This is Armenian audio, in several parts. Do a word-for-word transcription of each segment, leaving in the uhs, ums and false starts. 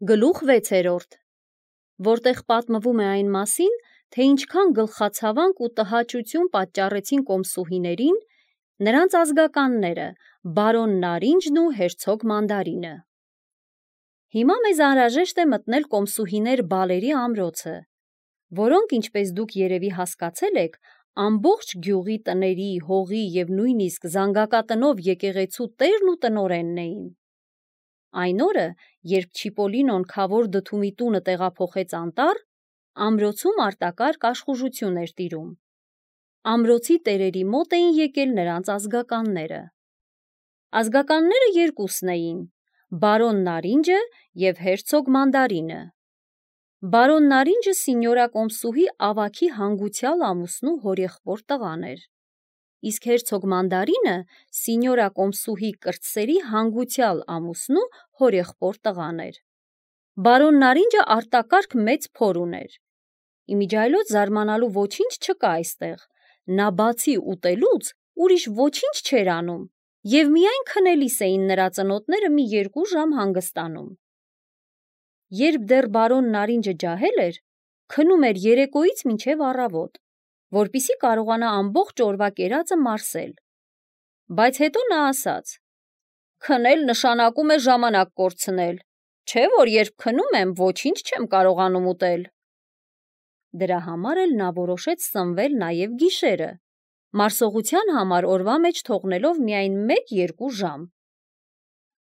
Գլուխ վեցերորդ, որտեղ պատմվում է այն մասին, թե ինչքան գլխացավանք ու տհաճություն պատճառեցին կոմսուհիներին, նրանց ազգականները, բարոն Նարինջն ու հերցոգ Մանդարինը։ Հիմա մեզ անհրաժեշտ է մտնել կոմսուհիներ Բալերի ամրոցը, որոնք, ինչպես դուք երևի հասկացել եք, ամբողջ գյուղի տների, հողի և նույնիսկ զանգակատնով եկեղեցու տերն ու տնօրենն էին։ Այն օրը, երբ Չիպոլինոն քավոր դդումի տունը տեղափոխեց անտառ, ամրոցում արտակարգ աշխուժություն էր տիրում։ Ամրոցի տերերի մոտ էին եկել նրանց ազգականները։ Ազգականները երկուսն էին՝ բարոն Նարինջը և հերցոգ Մանդարինը։ Բարոն Նարինջը սինյորա կոմսուհի ավագի հանգուցյալ ամուսնու հորեղբոր տղան էր, իսկ հերցոգ Մանդարինը սինյորա կոմսուհի կրտսերի հանգուցյալ ամուսնու հորեղբոր տղան էր։ Բարոն Նարինջը արտակարգ մեծ փոր ուներ։ Իմիջիայլոց զարմանալու ոչինչ չկա այստեղ, նա բացի ուտելուց ուրիշ ոչինչ չէր անում և միայն քնելիս էին նրա ծնոտները մի երկու ժամ հանգստանում։ Երբ դեռ բարոն Նարինջը ջահել էր, քնում էր երեկոյից մինչև առավոտ, որպեսզի կարողանա ամբողջ օրվա կերածը մարսել։ Բայց հետո նա ասաց. «Քնել նշանակում է ժամանակ կորցնել, չէ՞ որ երբ քնում եմ, ոչինչ չեմ կարողանում ուտել»։ Դրա համար էլ նա որոշեց սնվել նաև գիշերը, մարսողության համար օրվա մեջ թողնելով միայն մեկ-երկու ժամ։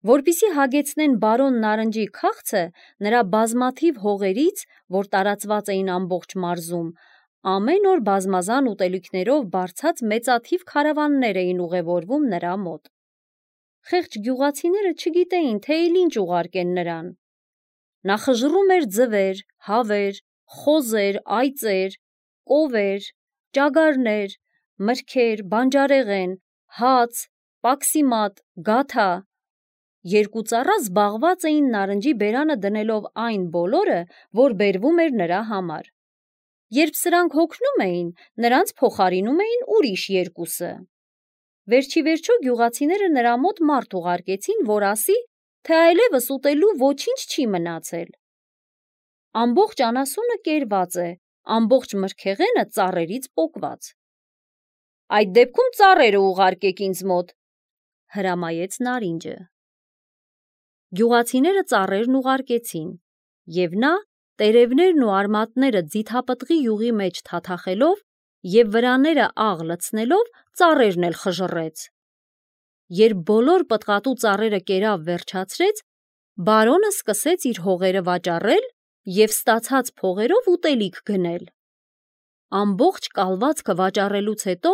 Որպեսզի հագեցնեն բարոն Նարնջի քաղցը նրա բազմաթիվ հողերից, որ տարածված էին ամբողջ մարզում, ամեն օր բազմազան ուտելիքներով բարձած մեծաթիվ քարավաններ էին ուղևորվում նրա մոտ։ Խեղճ գյուղացիները չգիտեին, թե էլ ինչ ուղարկեն նրան։ Նա խժռում էր ձվեր, հավեր, խոզեր, այծեր, կովեր, ճագարներ, մրգեր, բանջարեղեն, հաց, պաքսիմատ, գաթա։ Երկու ծառա զբաղված էին նարնջի բերանը դնելով այն բոլորը, որ բերվում էր նրա համար։ Երբ սրանք հոգնում էին, նրանց փոխարինում էին ուրիշ երկուսը։ Վերջիվերջո գյուղացիները նրա մոտ մարդ ուղարկեցին, որ ասի, թե այլևս ուտելու ոչինչ չի մնացել։ Ամբողջ անասունը կերված է, ամբողջ մրգեղենը ծառերից պոկված։ Այդ դեպքում ծառերը ուղարկեք ինձ մոտ, հրամայեց Նարինջը։ Գյուղացիները ծառերն ուղարկեցին, և նա, տերևներն ու արմատները ձիթապտղի յուղի մեջ թաթախելով և վրաները աղ լցնելով, ծառերն էլ խժռեց։ Երբ բոլոր պտղատու ծառերը կերավ վերջացրեց, բարոնը սկսեց իր հողերը վաճառել և ստացած փողերով ուտելիք գնել։ Ամբողջ կալվածքը վաճառելուց հետո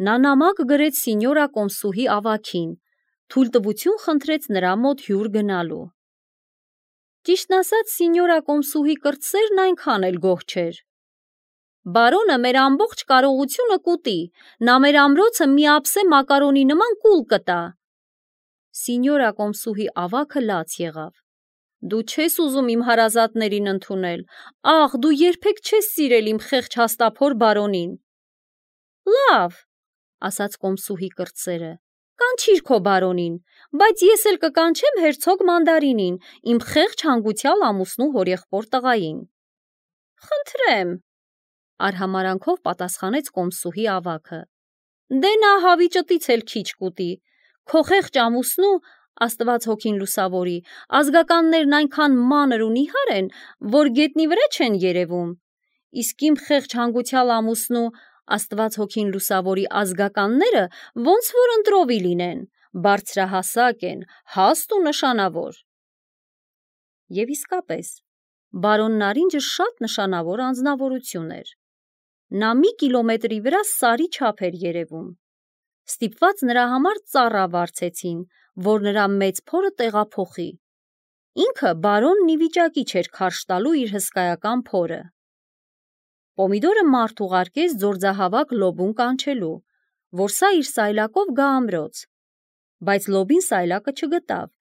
նա նամակ գրեց սինյորա կոմսուհի ավագին, թույլտվություն խնդրեց նրա մոտ հյուր գնալու։ Ճիշտն ասած, սինյորա կոմսուհի կրտսերն այնքան էլ գոհ չէր։ Բարոնը մեր ամբողջ կարողությունը կուտի, նա մեր ամրոցը մի ափսե մակարոնի նման կուլ կտա։ Սինյորա կոմսուհի ավագը լաց եղավ։ Դու չես ուզում իմ հարազատներին ընդունել, ախ, դու երբեք չես սիրել իմ խեղճ հաստափոր բարոնին։ Լավ, ասաց կոմսուհի կրտսերը, կանչիր քո բարոնին, բայց ես էլ կկանչեմ հերցոգ Մանդարինին, իմ խեղճ հանգուցյալ ամուսնու հորեղբոր տղային։ Խնդրեմ, արհամարանքով պատասխանեց կոմսուհի ավագը։ Դե նա հավիճտից էլ քիչ կուտի, քո խեղճ ամուսնու, Աստված հոգին լուսավորի, ազգականներն այնքան մանր ու նիհար են, որ գետնի վրա չեն երևում, իսկ իմ խեղճ հանգուցյալ ամուսնու, Աստված հոգին լուսավորի, ազգականները ոնց որ ընտրովի լինեն, բարձրահասակ են, հաստ ու նշանավոր։ Եվ իսկապես, բարոն Նարինջը շատ նշանավոր անձնավորություն էր։ Նա մի կիլոմետրի վրա սարի չափ էր երևում։ Ստիպված նրա համար ծառա վարձեցին, որ նրա մեծ փորը տեղափոխի։ Ինքը բարոնն ի վիճակի չէր քարշ տալու իր հսկայական փորը։ Պոմիդորը մարդ ուղարկեց ձորձահավաք Լոբուն կանչելու, որ սա իր սայլակով գա ամրոց։ Բայց Լոբին սայլակը չգտավ,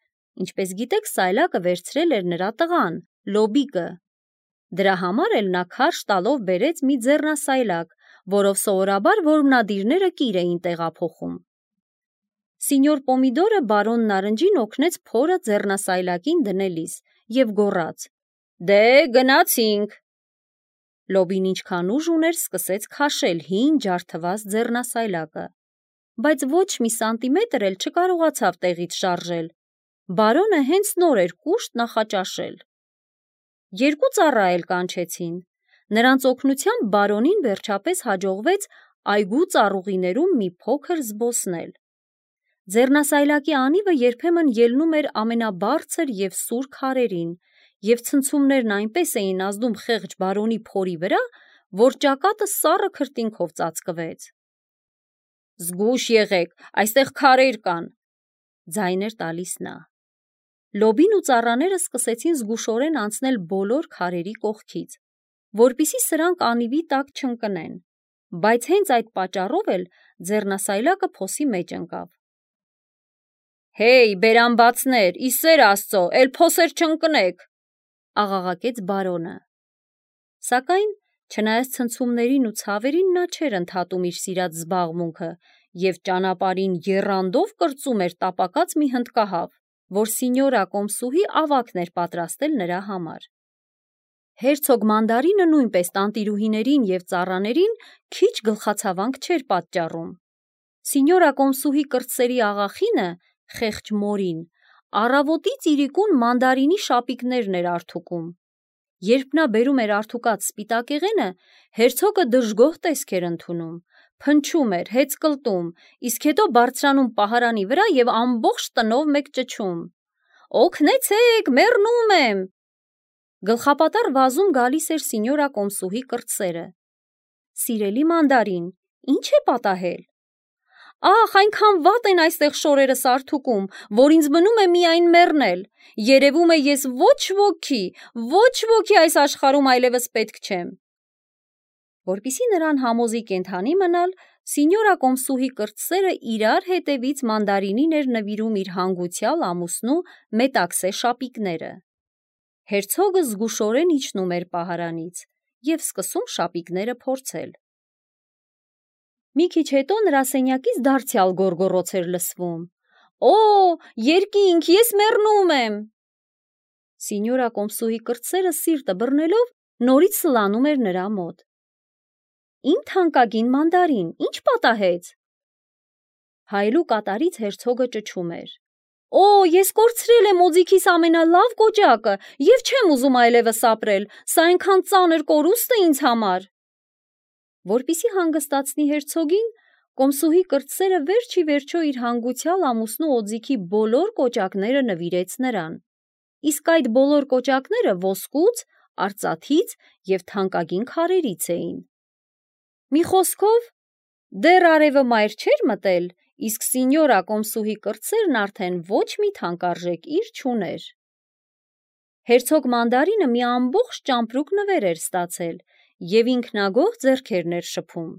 ինչպես գիտեք, սայլակը վերցրել էր նրա տղան, Լոբիկը։ Դրա համար էլ նա քարշ տալով բերեց մի ձեռնասայլակ, որով սովորաբար որմնադիրները կիր էին տեղափոխում։ Սինյոր Պոմիդորը բարոն Նարնջին օգնեց փորը ձեռնասայլակին դնելիս և գոռաց. «Դե, գնացինք»։ Լոբին ինչքան ուժ ուներ, սկսեց քաշել հին ջարդված ձեռնասայլակը, բայց ոչ մի սանտիմետր էլ չկարողացավ տեղից շարժել։ Բարոնը հենց նոր էր կուշտ նախաճաշել։ Երկու ծառա էլ կանչեցին։ Նրանց օգնությամբ բարոնին վերջապես հաջողվեց այգու ծառուղիներում մի փոքր զբոսնել։ Ձեռնասայլակի անիվը երբեմն ելնում էր ամենաբարձր և սուր քարերին, և ցնցումներն այնպես էին ազդում խեղճ բարոնի փորի վրա, որ ճակատը սառը քրտինքով ծածկվեց։ «Զգույշ եղեք, այստեղ քարեր կան», ձայն էր տալիս նա։ Լոբին ու ծառաները սկսեցին զգուշորեն անցնել բոլոր քարերի կողքից, որպեսզի սրանք անիվի տակ չընկնեն, բայց հենց այդ պատճառով էլ ձեռնասայլակը փոսի մեջ ընկավ։ «Հեյ, բերանբացներ, ի սեր Աստծո, էլ փոսեր չընկնեք», աղաղակեց բարոնը։ Սակայն, չնայած ցնցումներին ու ցավերին, նա չէր ընդհատում իր սիրած զբաղմունքը և ճանապարհին եռանդով կրծում էր տապակած մի հնդկահավ, որ սինյորա կոմսուհի ավագն էր պատրաստել նրա համար։ Հերցոգ Մանդարինը նույնպես տանտիրուհիներին և ծառաներին քիչ գլխացավանք չէր պատճառում։ Սինյորա կոմսուհի կրտսերի աղախինը, խեղճ մորին, առավոտից իրիկուն Մանդարինի շապիկներն էր արթուկում։ Երբ նա բերում էր արթուկած սպիտակեղենը, հերցոգը դժգոհ տեսք էր ընդունում, փնչում էր, հեծկլտում, իսկ հետո բարձրանում պահարանի վրա և ամբողջ տնով մեկ ճչում. «Օգնեցեք, մեռնում եմ»։ Գլխապատառ վազում գալիս էր սինյորա կոմսուհի կրտսերը. «Սիրելի Մանդարին, ի՞նչ է պատահել»։ «Ախ, այնքան վատ են այստեղ շորերս արթուկում, որ ինձ մնում է միայն մեռնել։ Երևում է ես ոչ ոքի, ոչ ոքի այս աշխարհում այլևս պետք չեմ»։ Որպեսզի նրան համոզի կենդանի մնալ, սինյորա կոմսուհի կրտսերը իրար հետևից Մանդարինին էր նվիրում իր հանգուցյալ ամուսնու մետաքսե շապիկները։ Հերցոգը զգուշորեն իջնում էր պահարանից և սկսում շապիկները փորձել։ Մի քիչ հետո նրա սենյակից դարձյալ գոռգոռոց էր լսվում. «Օ, երկինք, ես մեռնում եմ»։ Սինյորա կոմսուհի կրտսերը սիրտը բռնելով նորից սլանում էր նրա մոտ։ «Իմ թանկագին Մանդարին, ի՞նչ պատահեց»։ Հայելու կատարից հերցոգը ճչում էր. «Օ, ես կորցրել եմ օձիքիս ամենալավ կոճակը և չեմ ուզում այլևս ապրել, սա այնքան ծանր կորուստ է ինձ համար»։ Որպեսզի հանգստացնի հերցոգին, կոմսուհի կրտսերը վերջ ի վերջո իր հանգուցյալ ամուսնու օձիքի բոլոր կոճակները նվիրեց նրան, իսկ այդ բոլոր կոճակները ոսկուց, արծաթից և թանկագին քարերից էին։ Մի խոսքով, դեռ արևը մայր չէր մտել, իսկ սինյորա կոմսուհի կրտսերն արդեն ոչ մի թանկարժեք իր չուներ։ Հերցոգ Մանդարինը մի ամբողջ ճամպրուկ նվեր էր ստացել և ինքնագոհ ձեռքերն էր շփում։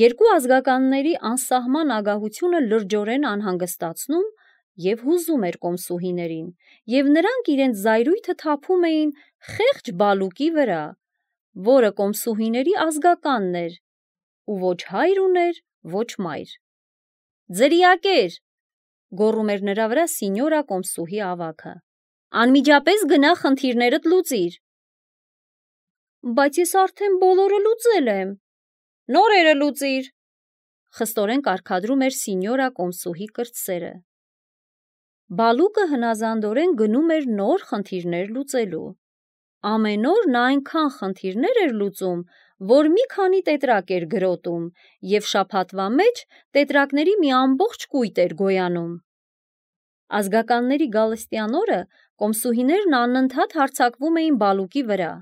Երկու ազգականների անսահման ագահությունը լրջորեն անհանգստացնում և հուզում էր կոմսուհիներին, և նրանք իրենց զայրույթը թափում էին խեղճ Բալուկի վրա, որը կոմսուհիների ազգականն էր ու ոչ հայր ուներ, ոչ մայր։ «Ձրիակեր», գոռում էր նրա վրա սինյորա կոմսուհի ավագը, «անմիջապես գնա խնդիրներդ լուծիր»։ «Բայց ես արդեն բոլորը լուծել եմ»։ «Նորերը լուծիր», խստորեն կարգադրում էր սինյորա կոմսուհի կրտսերը։ Բալուկը հնազանդորեն գնում էր նոր խնդիրներ լուծելու։ Ամեն օր նա այնքան խնդիրներ էր լուծում, որ մի քանի տետրակ էր գրոտում և շաբաթվա մեջ տետրակների մի ամբողջ կույտ էր գոյանում։ Ազգականների գալստյան օրը կոմսուհիներն անընդհատ հարձակվում էին Բալուկի վրա.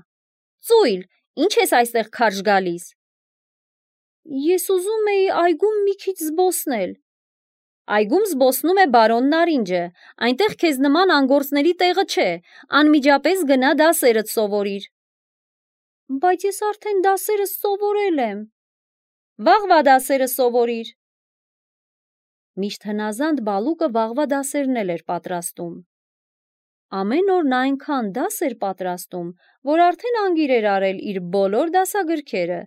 «Ծույլ, ի՞նչ ես այստեղ քարշ գալիս»։ «Ես ուզում էի այգում մի քիչ զբոսնել»։ «Այգում զբոսնում է բարոն Նարինջը, այնտեղ քեզ նման անգործների տեղը չէ, անմիջապես գնա դասերդ սովորիր»։ «Բայց ես արդեն դասերս սովորել եմ»։ «Վաղվա դասերը սովորիր»։ Միշտ հնազանդ Բալուկը վաղվա դասերն էլ էր պատրաստում։ Ամեն օր նա այնքան դաս էր պատրաստում, որ արդեն անգիր էր արել իր բոլոր դասագրքերը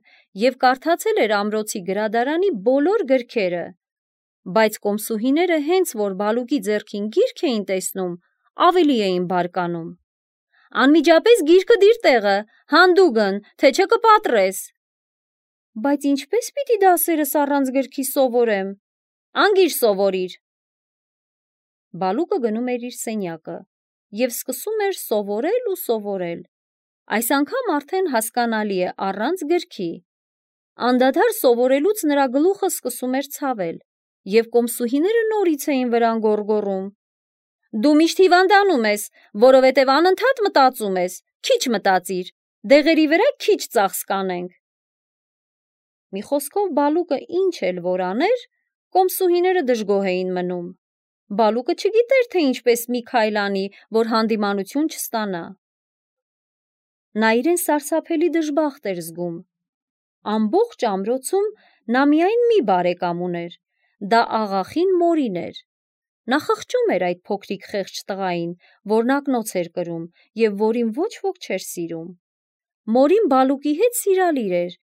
և կարդացել էր ամրոցի գրադարանի բոլոր գրքերը, բայց կոմսուհիները հենց որ Բալուկի ձեռքին գիրք էին տեսնում, ավելի էին բարկանում։ Անմիջապես գիրկը դիր տեղը, հանդուգն, թե չէ կպատրես։ Բայց ինչպես պիտի դասերս առանց գրքի սովորեմ։ Անգիր սովորիր։ Բալուկը գնում էր իր սենյակը և սկսում էր սովորել ու սովորել։ Այս անգամ արդեն հասկանալի է առանց գրքի։ Անդադար սովորելուց նրա գլուխը սկսում էր ցավել, և կոմսուհիները նորից էին վրան գոռգոռում. Դու միշտ հիվանդանում ես, որովհետև անընդհատ մտածում ես, քիչ մտածիր, դեղերի վրա քիչ ծախս կանենք։ Մի խոսքով Բալուկը ինչ էլ որ աներ, կոմսուհիները դժգոհ էին մնում։ Բալուկը չգիտեր, թե ինչպես մի քայլ անի, որ հանդիմանություն չստանա։ Նա իրեն սարսափելի դժբախտ էր զգում։ Ամբողջ ամրոցում նա միայն մի բարեկամ ուներ, դա աղախին Մորին էր։ Նա խղճում էր այդ փոքրիկ խեղճ տղային, որն ակնոց էր կրում և որին ոչ ոք չէր սիրում։ Մորին Բալուկի հետ սիրալիր էր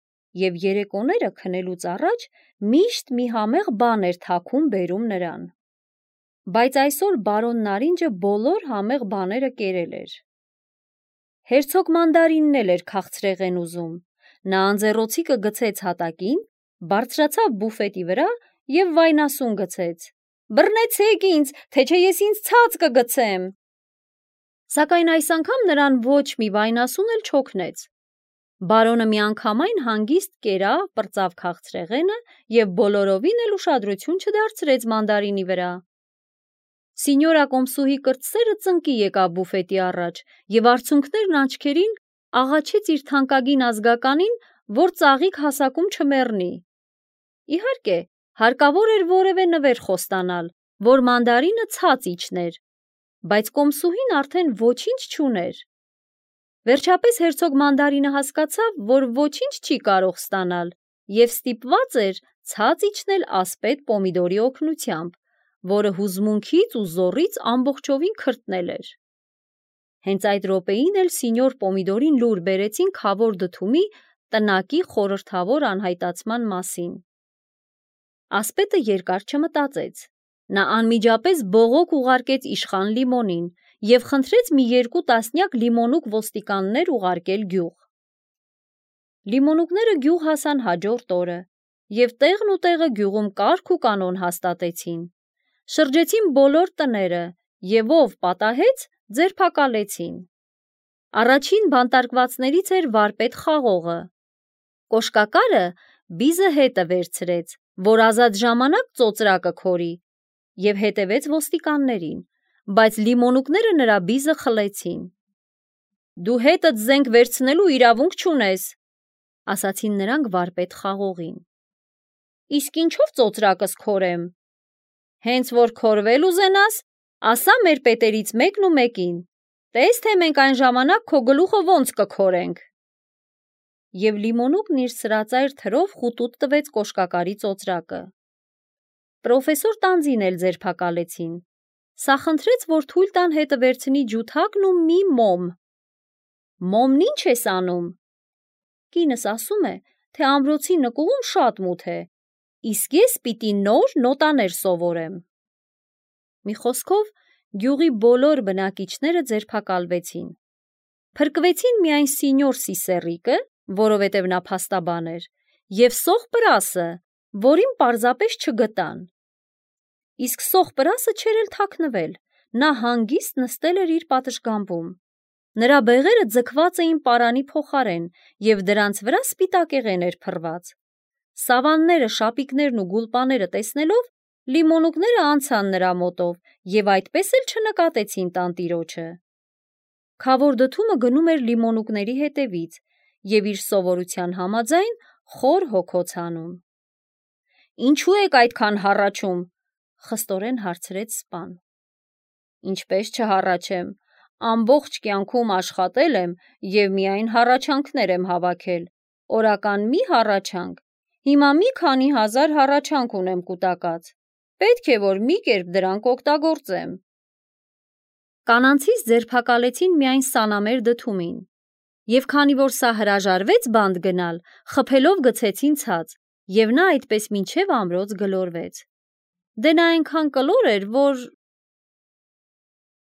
և երեկոները քնելուց առաջ միշտ մի համեղ բան էր թաքուն բերում նրան։ Բայց այսօր բարոն Նարինջը բոլոր համեղ բաները կերել էր։ Հերցոգ Մանդարինն էլ էր քաղցրեղեն ուզում։ Նա անձեռոցիկը գցեց հատակին, բարձրացավ բուֆետի վրա և վայնասուն գցեց. «Բռնեցեք ինձ, թե չէ ես ինձ ցած կգցեմ»։ Սակայն այս անգամ նրան ոչ մի վայնասուն էլ չօգնեց։ Բարոնը միանգամայն հանգիստ կերավ, պրծավ քաղցրեղենը և բոլորովին էլ ուշադրություն չդարձրեց Մանդարինի վրա։ Սինյորա կոմսուհի կրտսերը ծնկի եկավ բուֆետի առաջ և արցունքներն աչքերին աղաչեց իր թանկագին ազգականին, որ ծաղիկ հասակում չմեռնի։ Իհարկե, հարկավոր էր որևէ նվեր խոստանալ, որ Մանդարինը ցած իջներ, բայց կոմսուհին արդեն ոչինչ չուներ։ Վերջապես հերցոգ Մանդարինը հասկացավ, որ ոչինչ չի կարող ստանալ և ստիպված էր ցած իջնել ասպետ Պոմիդորի օգնությամբ, որը հուզմունքից ու զոռից ամբողջովին քրտնել էր։ Հենց այդ րոպեին էլ սինյոր Պոմիդորին լուր բերեցին Քավոր Դդումի տնակի խորհրդավոր անհայտացման մասին։ Ասպետը երկար չմտածեց։ Նա անմիջապես բողոք ուղարկեց իշխան Լիմոնին և խնդրեց մի երկու տասնյակ լիմոնուկ ոստիկաններ ուղարկել գյուղ։ Լիմոնուկները գյուղ հասան հաջորդ օրը և տեղն ու տեղը գյուղում կարգ ու կանոն հաստատեցին։ Շրջեցին բոլոր տները և ով պատահեց, ձերբակալեցին։ Առաջին բանտարկվածներից էր վարպետ Խաղողը։ Կոշկակարը բիզը հետը վերցրեց, որ ազատ ժամանակ ծոծրակը քորի, և հետևեց ոստիկաններին, բայց լիմոնուկները նրա բիզը խլեցին։ Դու հետդ զենք վերցնելու իրավունք չունես, ասացին նրանք վարպետ Խաղողին։ Իսկ ինչով ծոծրակս քորեմ։ Հենց որ քորվել ուզենաս, ասա մեր պետերից մեկն ու մեկին, տես թե մենք այն ժամանակ քո գլուխը ոնց կքորենք։ Եվ լիմոնուկն իր սրածայր թրով խուտուտ տվեց կոշկակարի ծոծրակը։ Պրոֆեսոր Տանձին էլ ձերբակալեցին։ Սա խնդրեց, որ թույլ տան հետը վերցնի ջութակն ու մի մոմ։ Մոմն ինչ ես անում։ Կինս ասում է, թե ամրոցի նկուղում շատ մութ է, իսկ ես պիտի նոր նոտաներ սովորեմ։ Մի խոսքով, գյուղի բոլոր բնակիչները ձերբակալվեցին։ Փրկվեցին միայն սինյոր Սիսեռիկը, որովհետև նա փաստաբան էր, և Սոխ Պրասը, որին պարզապես չգտան։ Իսկ Սոխ Պրասը չէր էլ թաքնվել, նա հանգիստ նստել էր իր պատշգամբում։ Նրա բեղերը ձգված էին պարանի փոխարեն և դրանց վրա սպիտակեղեն էր փռված։ Սավանները, շապիկներն ու գուլպաները տեսնելով, լիմոնուկները անցան նրա մոտով և այդպես էլ չնկատեցին տանտիրոջը։ Քավոր Դդումը գնում էր լիմոնուկների հետևից և իր սովորության համաձայն խոր հոգոց անում։ Ինչու եք այդքան հառաչում, խստորեն հարցրեց սպան։ Ինչպես չհառաչեմ, ամբողջ կյանքում աշխատել եմ և միայն հառաչանքներ եմ հավաքել, օրական մի հառաչանք, հիմա մի քանի հազար հառաչանք ունեմ կուտակած, պետք է, որ մի կերպ դրանք օգտագործեմ։ Կանանցից ձերբակալեցին միայն Սանամեր Դդումին, և քանի որ սա հրաժարվեց բանտ գնալ, խփելով գցեցին ցած, և նա այդպես մինչև ամրոց գլորվեց։ Դե նա այնքան կլոր էր, որ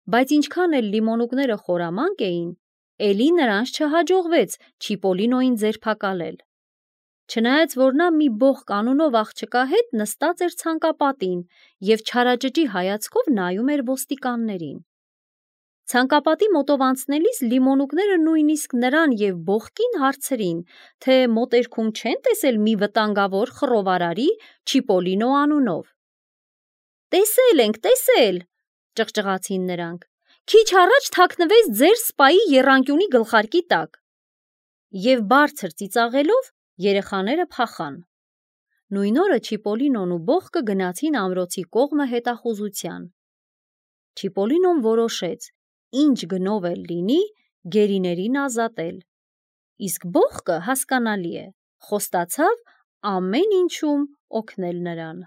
Բայց ինչքան էլ լիմոնուկները խորամանկ էին, էլի նրանց չհաջողվեց Չիպոլինոին ձերբակալել։ Չնայած որ նա մի բողոք անունով աղջկա հետ նստած էր ցանկապատին և չարաճճի հայացքով նայում էր ոստիկաններին։ Ցանկապատի մոտով անցնելիս լիմոնուկները նույնիսկ նրան և բողոքին հարցրին, թե մոտերքում չեն տեսել մի վտանգավոր խռովարարի Չիպոլինո անունով։ «Տեսել ենք, տեսել», ճղճղացին նրանք, «քիչ առաջ թաքնվեց ձեր սպայի եռանկյունի գլխարկի տակ»։ Եվ բարձր ծիծաղելով երեխաները փախան։ Նույն օրը Չիպոլինոն ու բողոքը գնացին ամրոցի կողմը հետախուզության։ Չիպոլինոն որոշեց, ինչ գնով էլ լինի, գերիներին ազատել։ Իսկ բողոքը, հասկանալի է, խոստացավ ամեն ինչում օգնել նրան։